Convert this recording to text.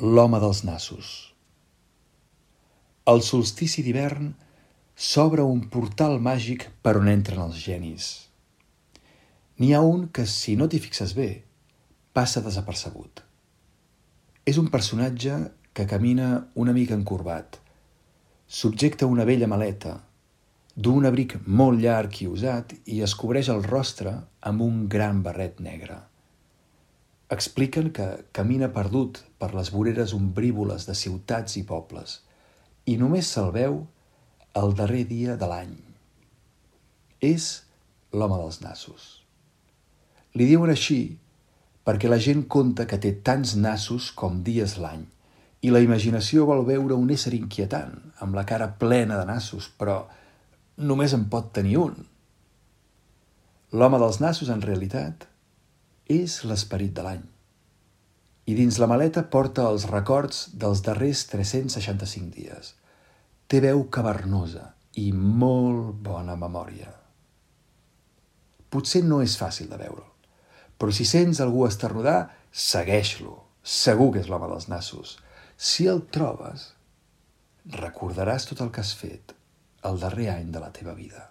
L'home dels nassos. Al solstici d'hivern s'obre un portal màgic per on entren els genis. N'hi ha un que, si no t'hi fixes bé, passa desapercebut. És un personatge que camina una mica encorbat, subjecta una vella maleta, du un abric molt llarg i usat i es cobreix el rostre amb un gran barret negre. Expliquen que camina perdut per les voreres ombrívoles de ciutats i pobles i només se'l veu el darrer dia de l'any. És l'home dels nassos. Li diuen així perquè la gent conta que té tants nassos com dies l'any i la imaginació vol veure un ésser inquietant amb la cara plena de nassos, però només en pot tenir un. L'home dels nassos, en realitat, és l'esperit de l'any. I dins la maleta porta els records dels darrers 365 dies. Té veu cavernosa i molt bona memòria. Potser no és fàcil de veure'l, però si sents algú esternudar, segueix-lo. Segur que és l'home dels nassos. Si el trobes, recordaràs tot el que has fet el darrer any de la teva vida.